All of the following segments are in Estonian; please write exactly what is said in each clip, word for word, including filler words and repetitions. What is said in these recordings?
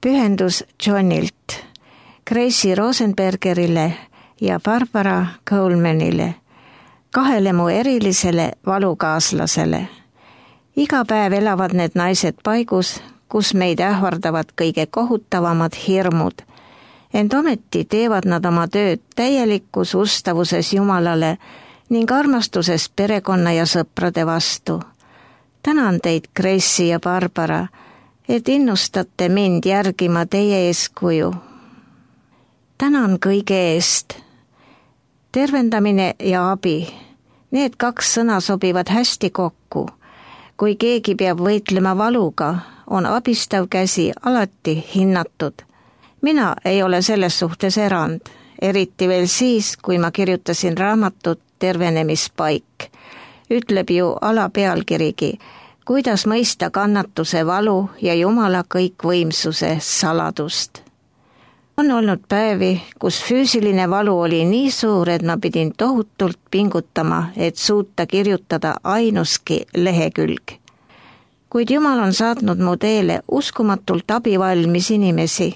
Pühendus Johnilt, Gracie Rosenbergerile ja Barbara Colemanile, kahele mu erilisele valukaaslasele. Iga päev elavad need naised paigus, kus meid ähvardavad kõige kohutavamad hirmud. Ent ometi teevad nad oma tööd täielikus ustavuses Jumalale ning armastuses perekonna ja sõprade vastu. Tänan teid, Gracie ja Barbara, et innustate mind järgima teie eeskuju. Tänan kõige eest. Tervendamine ja abi. Need kaks sõna sobivad hästi kokku. Kui keegi peab võitlema valuga, on abistav käsi alati hinnatud. Mina ei ole selles suhtes erand, eriti veel siis, kui ma kirjutasin raamatut Tervenemispaik. Ütleb ju alapealkirigi, kuidas mõista kannatuse valu ja Jumala kõikvõimsuse saladust. On olnud päevi, kus füüsiline valu oli nii suur, et ma pidin tohutult pingutama, et suuta kirjutada ainuski lehekülg. Kuid Jumal on saatnud mu teele uskumatult abivalmis inimesi,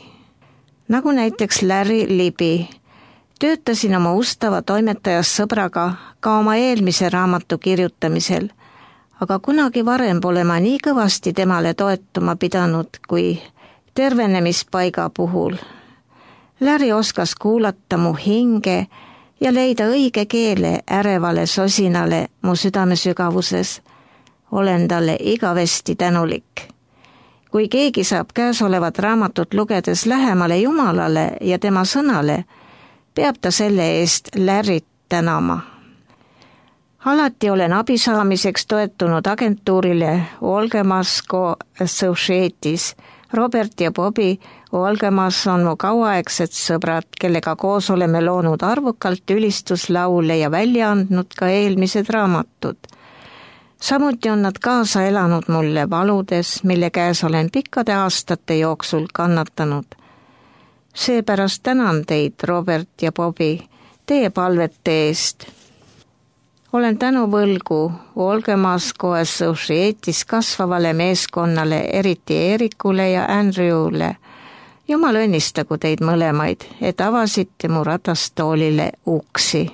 nagu näiteks Larry Libby. Töötasin oma ustava toimetajas sõbraga ka oma eelmise raamatu kirjutamisel, aga kunagi varem pole ma nii kõvasti temale toetuma pidanud kui Tervenemispaiga puhul. Larry oskas kuulata mu hinge ja leida õige keele ärevale sosinale mu südame sügavuses. Olen talle igavesti tänulik. Kui keegi saab käesolevat raamatut lugedes lähemale Jumalale ja tema sõnale, peab ta selle eest Larryt tänama. Alati olen abi saamiseks toetunud agentuurile Olgemasco Associates. Robert ja Bobby Olgemas on mu kauaaegsed sõbrad, kellega koos oleme loonud arvukalt ülistuslaule ja välja andnud ka eelmised raamatud. Samuti on nad kaasa elanud mulle valudes, mille käes olen pikkade aastate jooksul kannatanud. Seepärast tänan teid, Robert ja Bobby, teie palvete eest. Olen tänuvõlgu Olgemasco Associates kasvavale meeskonnale, eriti Erikule ja Andrewle. Jumal õnnistagu teid mõlemaid, et avasite mu ratastoolile uksi.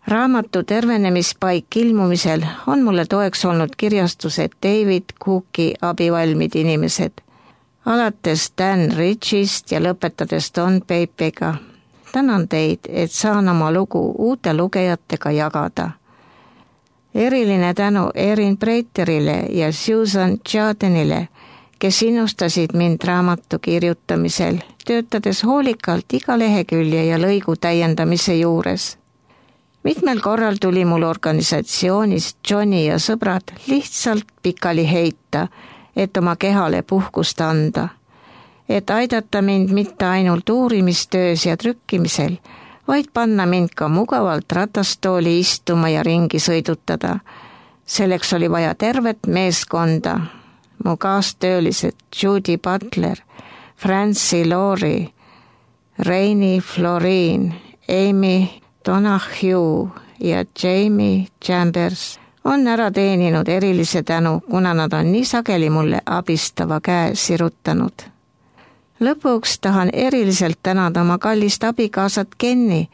Raamatu Tervenemispaik ilmumisel on mulle toeks olnud kirjastused David Cooki abivalmid inimesed, alates Dan Richist ja lõpetades Don Pepega. Tänan teid, et saan oma lugu uute lugejatega jagada. Eriline tänu Erin Breiterile ja Susan Jadenile, kes innustasid mind raamatu kirjutamisel, töötades hoolikalt iga lehekülje ja lõigu täiendamise juures. Mitmel korral tuli mul organisatsioonist Johnny ja sõbrad lihtsalt pikali heita, et oma kehale puhkust anda. Et aidata mind mitte ainult uurimistöös ja trükkimisel, vaid panna mind ka mugavalt ratastooli istuma ja ringi sõidutada. Selleks oli vaja tervet meeskonda. Mu kaastöölised Judy Butler, Francie Laurie, Rainy Florine, Amy Donahue ja Jamie Chambers on ära teeninud erilise tänu, kuna nad on nii sageli mulle abistava käe sirutanud. Lõpuks tahan eriliselt tänada oma kallist abikaasat Kenny,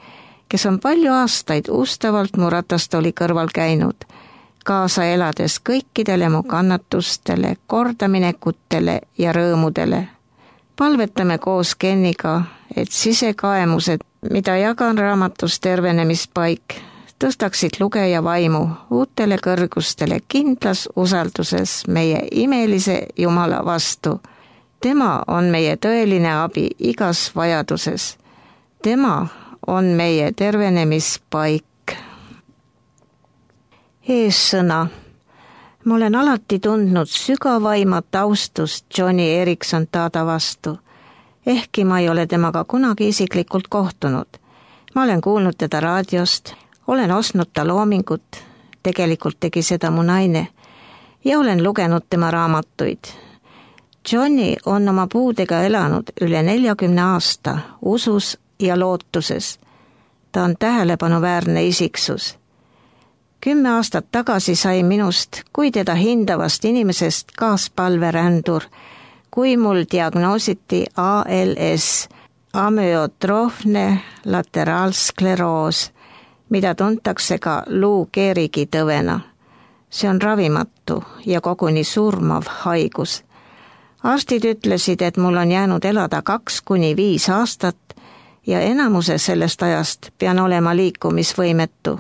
kes on palju aastaid ustavalt mu ratastooli kõrval käinud, kaasa elades kõikidele mu kannatustele, kordaminekutele ja rõõmudele. Palvetame koos Kenniga, et sisekaemused, mida jagan raamatus Tervenemispaik, tõstaksid lugeja vaimu uutele kõrgustele kindlas usalduses meie imelise Jumala vastu. Tema on meie tõeline abi igas vajaduses. Tema on meie tervenemispaik. Eessõna. Ma olen alati tundnud sügavaimat austust Johnny Erikson Tada vastu, ehkki ma ei ole temaga kunagi isiklikult kohtunud. Ma olen kuulnud teda raadiost, olen ostnud ta loomingut, tegelikult tegi seda mu naine, ja olen lugenud tema raamatuid. Johnny on oma puudega elanud üle neljakümne aasta usus ja lootuses. Ta on tähelepanuväärne isiksus. Kümme aastat tagasi sai minust kui teda hindavast inimesest kaaspalverändur, kui mul diagnoositi A L S, amyotroofne lateraalskleroos, mida tuntakse ka Lou Gehrigi tõvena. See on ravimatu ja koguni surmav haigus. Arstid ütlesid, et mul on jäänud elada kaks kuni viis aastat ja enamuse sellest ajast pean olema liikumisvõimetu.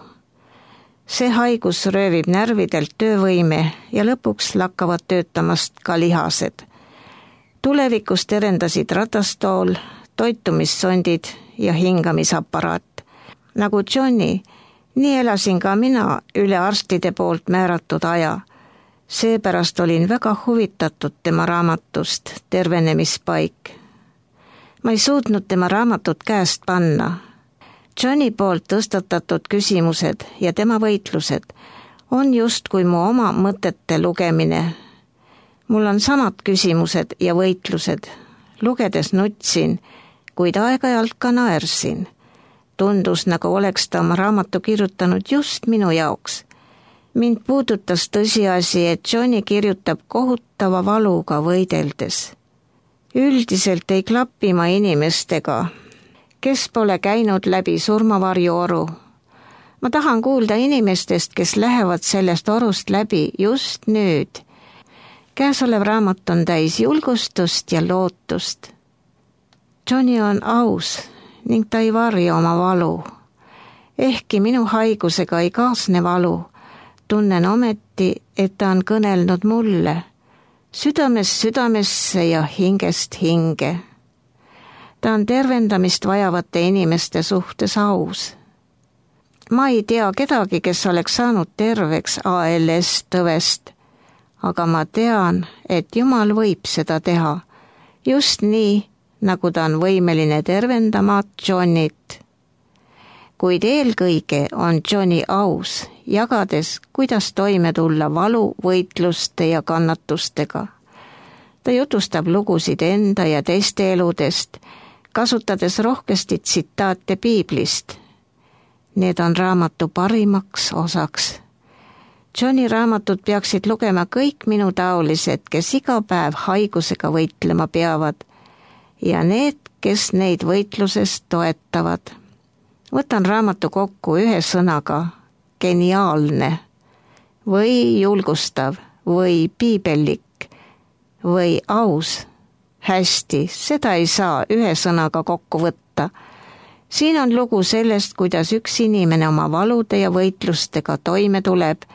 See haigus röövib närvidelt töövõime ja lõpuks lakkavad töötamast ka lihased. Tulevikus terendasid ratastool, toitumissondid ja hingamisaparaat. Nagu Johnny, nii elasin ka mina üle arstide poolt määratud aja. Seepärast olin väga huvitatud tema raamatust Tervenemispaik. Ma ei suutnud tema raamatut käest panna. Johnny poolt tõstatatud küsimused ja tema võitlused on just kui mu oma mõtete lugemine. Mul on samad küsimused ja võitlused. Lugedes nutsin, kuid aeg-ajalt ka naersin. Tundus, nagu oleks ta oma raamatu kirjutanud just minu jaoks. Mind puudutas tõsiasi, et Johnny kirjutab kohutava valuga võideldes. Üldiselt ei klapi ma inimestega, kes pole käinud läbi surmavarjuoru. Ma tahan kuulda inimestest, kes lähevad sellest orust läbi just nüüd. Käesolev raamat on täis julgustust ja lootust. Johnny on aus ning ta ei varja oma valu. Ehkki minu haigusega ei kaasne valu, tunnen ometi, et ta on kõnelnud mulle, südamest südamesse ja hingest hinge. Ta on tervendamist vajavate inimeste suhtes aus. Ma ei tea kedagi, kes oleks saanud terveks A L S tõvest, aga ma tean, et Jumal võib seda teha, just nii, nagu ta on võimeline tervendama Johnnyt. Kuid eelkõige on Johnny aus, jagades, kuidas toime tulla valu, võitluste ja kannatustega. Ta jutustab lugusid enda ja teiste eludest, kasutades rohkesti tsitaate Piiblist. Need on raamatu parimaks osaks. Johnny raamatud peaksid lugema kõik minu taolised, kes iga päev haigusega võitlema peavad, ja need, kes neid võitluses toetavad. Võtan raamatu kokku ühe sõnaga, geniaalne, või julgustav, või piibellik, või aus. Hästi, seda ei saa ühe sõnaga kokku võtta. Siin on lugu sellest, kuidas üks inimene oma valude ja võitlustega toime tuleb,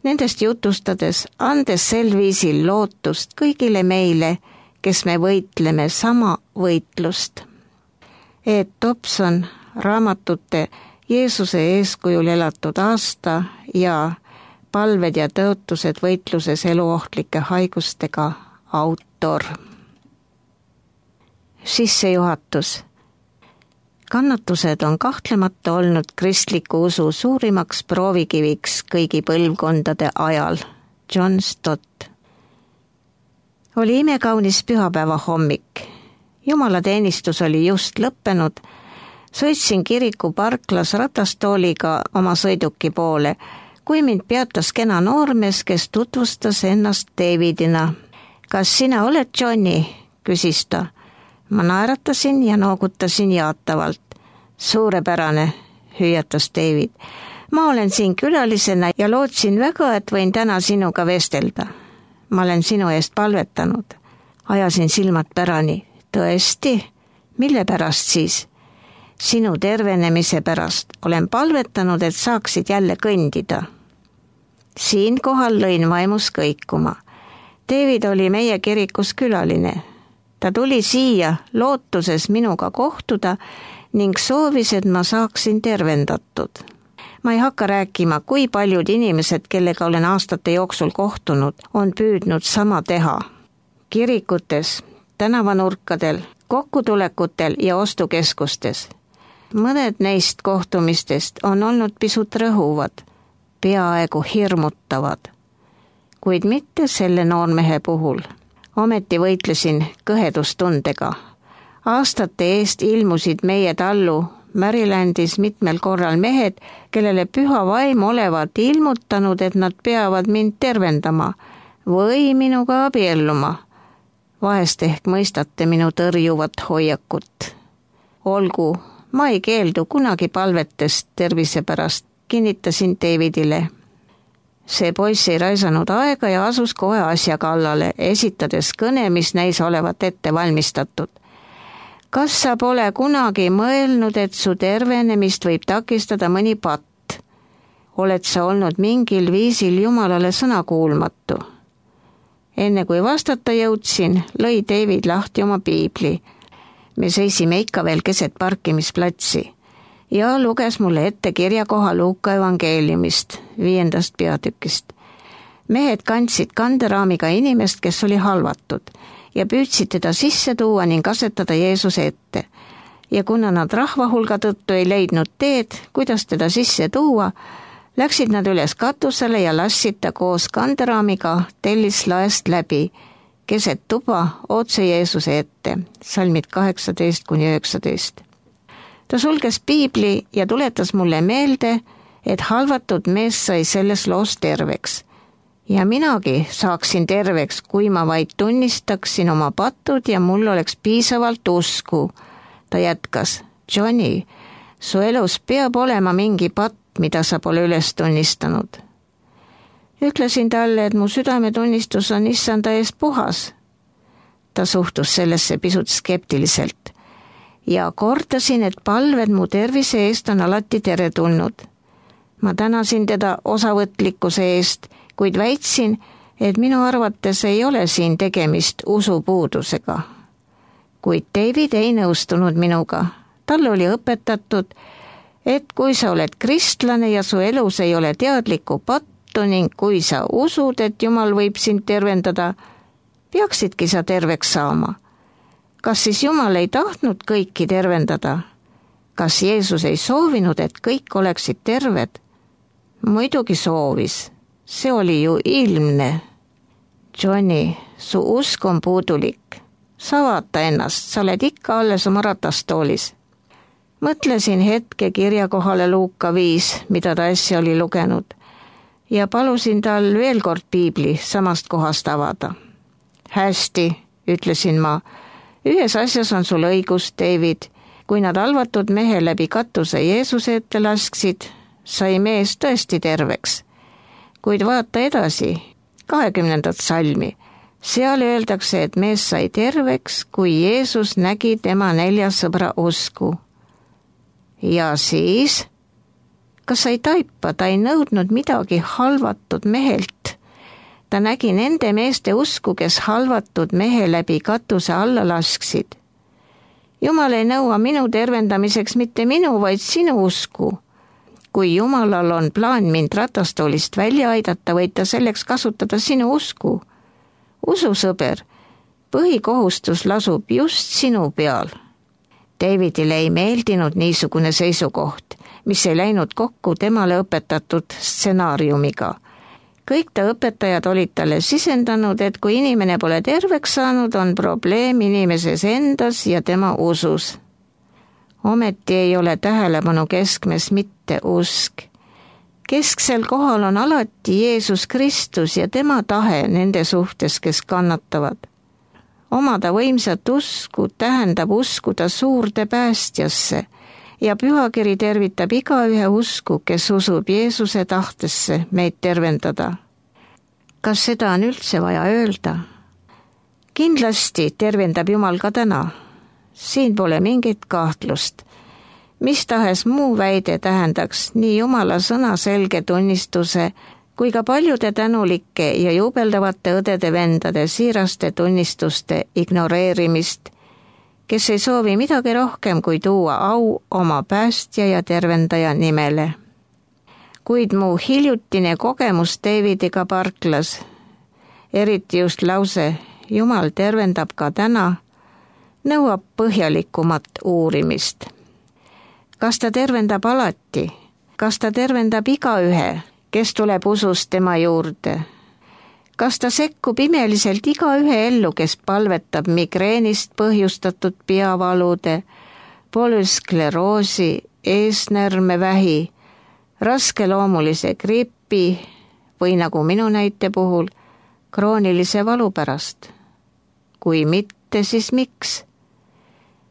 nendest jutustades, andes sel viisil lootust kõigile meile, kes me võitleme sama võitlust. Ed Dobson raamatute Jeesuse eeskujul elatud aasta ja palved ja tõotused võitluses eluohtlike haigustega autor. Sissejuhatus. Kannatused on kahtlemata olnud kristliku usu suurimaks proovikiviks kõigi põlvkondade ajal. John Stott. Oli imekaunis pühapäeva hommik. Jumalateenistus oli just lõppenud. Sõitsin kiriku parklas ratastooliga oma sõiduki poole, kui mind peatas kena noormees, kes tutvustas ennast Davidina. Kas sina oled Johnny? Küsis ta. Ma naeratasin ja noogutasin jaatavalt. Suurepärane, hüüatas David. Ma olen siin külalisena ja lootsin väga, et võin täna sinuga vestelda. Ma olen sinu eest palvetanud. Ajasin silmad pärani. Tõesti? Mille pärast siis? Sinu tervenemise pärast olen palvetanud, et saaksid jälle kõndida. Siinkohal lõin vaimus kõikuma. David oli meie kirikus külaline. Ta tuli siia lootuses minuga kohtuda ning soovis, et ma saaksin tervendatud. Ma ei hakka rääkima, kui paljud inimesed, kellega olen aastate jooksul kohtunud, on püüdnud sama teha. Kirikutes, tänavanurkadel, kokkutulekutel ja ostukeskustes. Mõned neist kohtumistest on olnud pisut rõhuvad, peaaegu hirmutavad, kuid mitte selle noormehe puhul. Ometi võitlesin kõhedustundega. Aastate eest ilmusid meie tallu Marylandis mitmel korral mehed, kellele püha vaim olevat ilmutanud, et nad peavad mind tervendama või minuga abielluma Vahest ehk mõistate minu tõrjuvat hoiakut. Olgu, ma ei keeldu kunagi palvetest tervise pärast, kinnitasin Davidile. See poiss ei raisanud aega ja asus kohe asja kallale, esitades kõne, mis näis olevat ette valmistatud. Kas sa pole kunagi mõelnud, et su tervenemist võib takistada mõni patt? Oled sa olnud mingil viisil Jumalale sõnakuulmatu? Enne kui vastata jõudsin, lõi David lahti oma piibli. Me seisime ikka veel keset parkimisplatsi ja luges mulle ette kirjakoha Luuka evangeeliumist, viiendast peatükist. Mehed kandsid kanderaamiga inimest, kes oli halvatud, ja püüdsid teda sisse tuua ning asetada Jeesuse ette. Ja kuna nad rahva hulga tõttu ei leidnud teed, kuidas teda sisse tuua, läksid nad üles katusele ja lassid ta koos kanderaamiga tellislaest läbi, keset tuba otse Jeesuse ette, salmid kaheksateist kuni üheksateist. Ta sulges piibli ja tuletas mulle meelde, et halvatud mees sai selles loos terveks. Ja minagi saaksin terveks, kui ma vaid tunnistaksin oma patud ja mul oleks piisavalt usku. Ta jätkas, Johnny, su elus peab olema mingi patt, mida sa pole üles tunnistanud. Ütlesin talle, et mu südametunnistus on issanda ees puhas. Ta suhtus sellesse pisut skeptiliselt ja kordasin, et palved mu tervise eest on alati teretulnud. Ma tänasin teda osavõtlikkuse eest, kuid väitsin, et minu arvates ei ole siin tegemist usupuudusega. Kuid David ei nõustunud minuga. Tal oli õpetatud, et kui sa oled kristlane ja su elus ei ole teadlikku pattu ning kui sa usud, et Jumal võib sind tervendada, peaksidki sa terveks saama. Kas siis Jumal ei tahtnud kõiki tervendada? Kas Jeesus ei soovinud, et kõik oleksid terved? Muidugi soovis. See oli ju ilmne. Johnny, su usk on puudulik. Sa vaata ennast, sa oled ikka alles oma ratastoolis. Mõtlesin hetke kirjakohale Luuka viis, mida ta äsja oli lugenud, ja palusin tal veel kord piibli samast kohast avada. Hästi, ütlesin ma, ühes asjas on sul õigus, David. Kui nad halvatud mehe läbi katuse Jeesuse ette lasksid, sai mees tõesti terveks. Kuid vaata edasi, kahekümnendat salmi. Seal öeldakse, et mees sai terveks, kui Jeesus nägi tema nelja sõbra usku. Ja siis, kas sa ei taipa, ta ei nõudnud midagi halvatud mehelt. Ta nägi nende meeste usku, kes halvatud mehe läbi katuse alla lasksid. Jumal ei nõua minu tervendamiseks mitte minu, vaid sinu usku. Kui Jumalal on plaan mind ratastoolist välja aidata, võid ta selleks kasutada sinu usku. Usu, sõber, põhikohustus lasub just sinu peal. Davidile ei meeldinud niisugune seisukoht, mis ei läinud kokku temale õpetatud stsenaariumiga. Kõik ta õpetajad olid talle sisendanud, et kui inimene pole terveks saanud, on probleem inimeses endas ja tema usus. Ometi ei ole tähelepanu keskmes mitte usk. Kesksel kohal on alati Jeesus Kristus ja tema tahe nende suhtes, kes kannatavad. Omada võimsat usku tähendab uskuda suurde päästjasse ja pühakiri tervitab igaühe usku, kes usub Jeesuse tahtesse meid tervendada. Kas seda on üldse vaja öelda? Kindlasti tervendab Jumal ka täna. Siin pole mingit kahtlust. Mis tahes muu väide tähendaks nii Jumala sõna selge tunnistuse kui ka paljude tänulike ja jubeldavate õdede-vendade siiraste tunnistuste ignoreerimist, kes ei soovi midagi rohkem kui tuua au oma päästja ja tervendaja nimele. Kuid mu hiljutine kogemus Davidiga parklas, eriti just lause Jumal tervendab ka täna, nõuab põhjalikumat uurimist. Kas ta tervendab alati? Kas ta tervendab igaühe, kes tuleb usust tema juurde? Kas ta sekkub imeliselt igaühe ellu, kes palvetab migreenist põhjustatud peavalude, polüskleroosi, eesnärmevähi, raskeloomulise gripi või nagu minu näite puhul, kroonilise valu pärast? kui mitte, siis miks?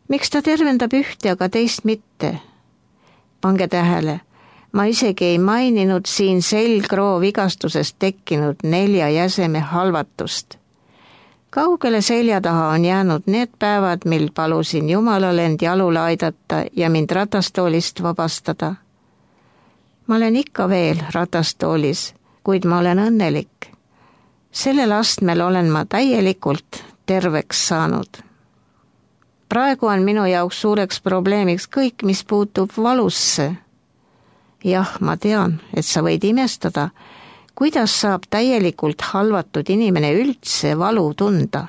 Miks ta tervendab ühte, aga teist mitte? Pange tähele, ma isegi ei maininud siin selgroo vigastusest tekkinud nelja jäseme halvatust. Kaugele selja taha on jäänud need päevad, mil palusin Jumalal end jalule aidata ja mind ratastoolist vabastada. Ma olen ikka veel ratastoolis, kuid ma olen õnnelik. Sellel astmel olen ma täielikult terveks saanud. Praegu on minu jaoks suureks probleemiks kõik, mis puutub valusse. Jah, ma tean, et sa võid imestada, kuidas saab täielikult halvatud inimene üldse valu tunda.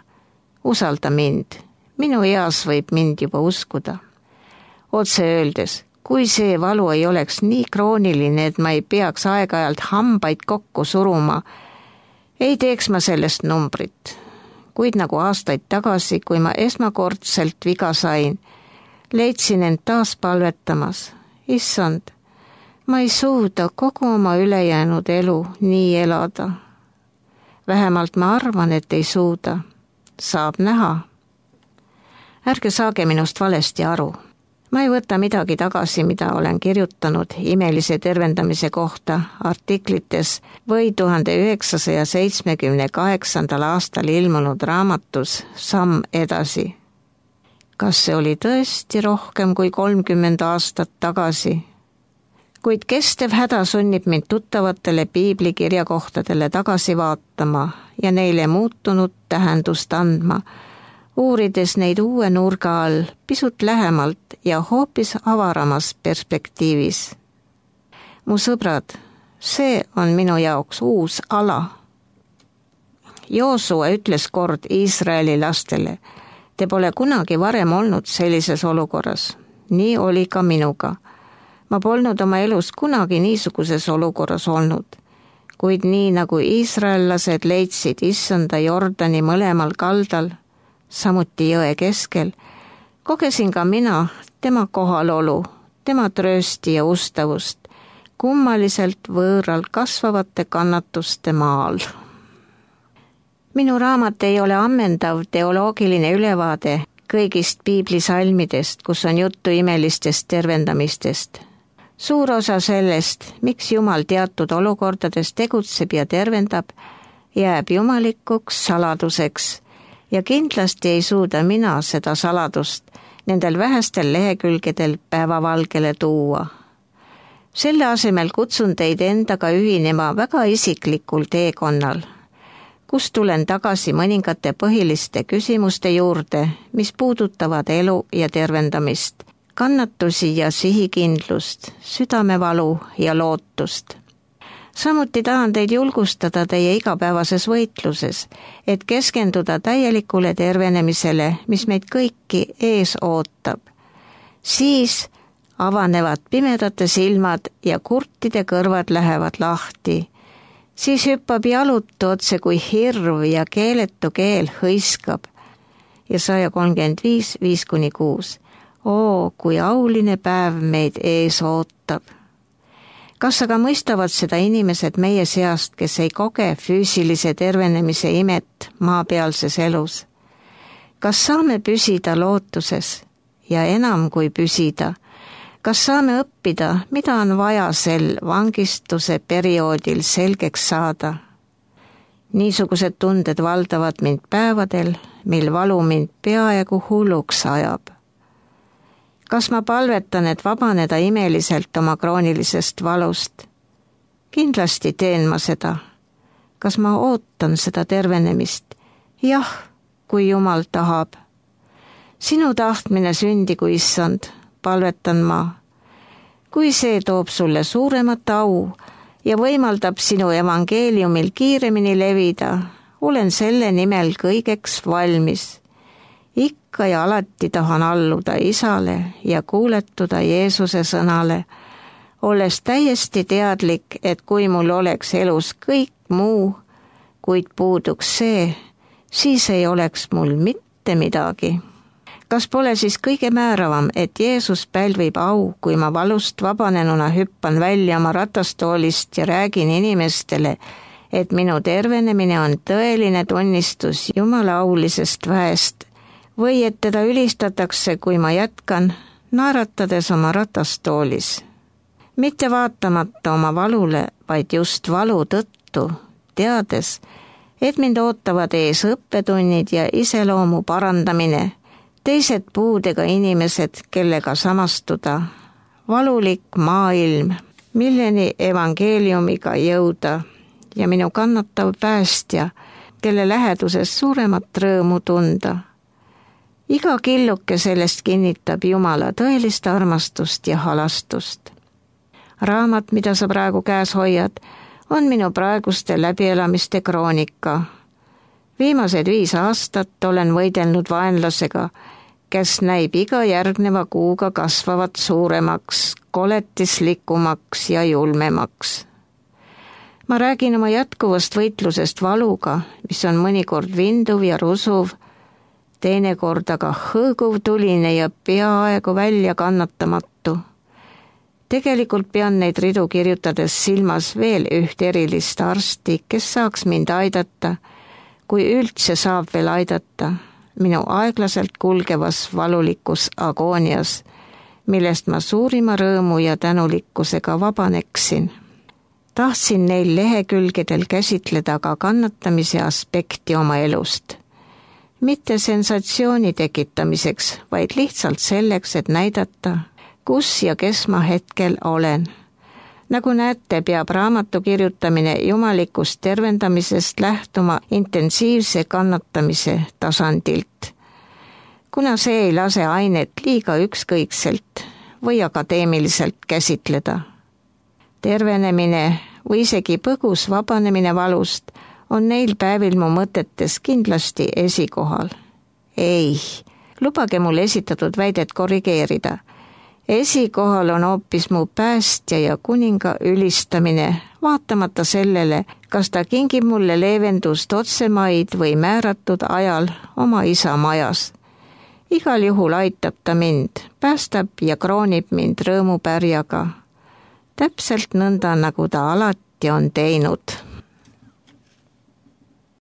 Usalda mind, minu eas võib mind juba uskuda. Otse öeldes, kui see valu ei oleks nii krooniline, et ma ei peaks aeg-ajalt hambaid kokku suruma, ei teeks ma sellest numbrit. Kuid nagu aastaid tagasi, kui ma esmakordselt viga sain, leidsin end taas palvetamas. Issand, ma ei suuda kogu oma ülejäänud elu nii elada. Vähemalt ma arvan, et ei suuda. Saab näha. Ärge saage minust valesti aru. Ma ei võta midagi tagasi, mida olen kirjutanud imelise tervendamise kohta artiklites või tuhande üheksasaja seitsmekümne kaheksandal aastal ilmunud raamatus Samm edasi. Kas see oli tõesti rohkem kui kolmkümmend aastat tagasi? Kuid kestev häda sunnib mind tuttavatele piiblikirjakohtadele tagasi vaatama ja neile muutunud tähendust andma, uurides neid uue nurga all pisut lähemalt ja hoopis avaramas perspektiivis. Mu sõbrad, see on minu jaoks uus ala. Joosua ütles kord Iisraeli lastele, te pole kunagi varem olnud sellises olukorras. Nii oli ka minuga. Ma polnud oma elus kunagi niisuguses olukorras olnud, kuid nii nagu iisraellased leidsid issanda Jordani mõlemal kaldal, samuti jõe keskel, kogesin ka mina tema kohalolu, tema tröösti ja ustavust, kummaliselt võõral kasvavate kannatuste maal. Minu raamat ei ole ammendav teoloogiline ülevaade kõigist piiblisalmidest, kus on juttu imelistest tervendamistest. Suur osa sellest, miks Jumal teatud olukordades tegutseb ja tervendab, jääb jumalikuks saladuseks ja kindlasti ei suuda mina seda saladust nendel vähestel lehekülgedel päevavalgele tuua. Selle asemel kutsun teid endaga ühinema väga isiklikul teekonnal, kus tulen tagasi mõningate põhiliste küsimuste juurde, mis puudutavad elu ja tervendamist, kannatusi ja sihikindlust, südamevalu ja lootust. Samuti tahan teid julgustada teie igapäevases võitluses, et keskenduda täielikule tervenemisele, mis meid kõiki ees ootab. Siis avanevad pimedate silmad ja kurtide kõrvad lähevad lahti. Siis hüppab jalutu otse kui hirv ja keeletu keel hõiskab. Ja saja kolmkümmend viis, viis kuni kuus. Oo, kui auline päev meid ees ootab. Kas aga mõistavad seda inimesed meie seast, kes ei koge füüsilise tervenemise imet maapealses elus? Kas saame püsida lootuses ja enam kui püsida? Kas saame õppida, mida on vaja sel vangistuse perioodil selgeks saada? Niisugused tunded valdavad mind päevadel, mil valu mind peaaegu hulluks ajab. Kas ma palvetan, et vabaneda imeliselt oma kroonilisest valust? Kindlasti teen ma seda. Kas ma ootan seda tervenemist? Jah, kui Jumal tahab. Sinu tahtmine sündigu, issand, palvetan ma. Kui see toob sulle suuremat au ja võimaldab sinu evangeeliumil kiiremini levida, olen selle nimel kõigeks valmis. Ikka ja alati tahan alluda Isale ja kuuletuda Jeesuse sõnale, olles täiesti teadlik, et kui mul oleks elus kõik muu, kuid puuduks see, siis ei oleks mul mitte midagi. Kas pole siis kõige määravam, et Jeesus pälvib au, kui ma valust vabanenuna hüppan välja oma ratastoolist ja räägin inimestele, et minu tervenemine on tõeline tunnistus Jumala aulisest väest või et teda ülistatakse, kui ma jätkan, naeratades oma ratastoolis. Mitte vaatamata oma valule, vaid just valu tõttu, teades, et mind ootavad ees õppetunnid ja iseloomu parandamine, teised puudega inimesed, kellega samastuda, valulik maailm, milleni evangeeliumiga jõuda ja minu kannatav päästja, kelle läheduses suuremat rõõmu tunda. Iga killuke sellest kinnitab Jumala tõelist armastust ja halastust. Raamat, mida sa praegu käes hoiad, on minu praeguste läbielamiste kroonika. Viimased viis aastat olen võidelnud vaenlasega, kes näib iga järgneva kuuga kasvavat suuremaks, koletislikumaks ja julmemaks. Ma räägin oma jätkuvast võitlusest valuga, mis on mõnikord vinduv ja rusuv, teinekord aga hõõguv tuline ja peaaegu välja kannatamatu. Tegelikult pean neid ridu kirjutades silmas veel üht erilist arsti, kes saaks mind aidata, kui üldse saab veel aidata, minu aeglaselt kulgevas valulikus agoonias, millest ma suurima rõõmu ja tänulikkusega vabaneksin. Tahtsin neil lehekülgedel käsitleda ka kannatamise aspekti oma elust. Mitte sensatsiooni tekitamiseks, vaid lihtsalt selleks, et näidata, kus ja kes ma hetkel olen. Nagu näete, peab raamatu kirjutamine jumalikust tervendamisest lähtuma intensiivse kannatamise tasandilt, kuna see ei lase ainet liiga ükskõikselt või akadeemiliselt käsitleda. Tervenemine või isegi põgus vabanemine valust on neil päevil mu mõtetes kindlasti esikohal. Ei, lubage mul esitatud väidet korrigeerida. Esikohal on hoopis mu päästja ja kuninga ülistamine, vaatamata sellele, kas ta kingib mulle leevendust otsemaid või määratud ajal oma isa majas. Igal juhul aitab ta mind, päästab ja kroonib mind rõõmupärjaga. Täpselt nõnda, nagu ta alati on teinud.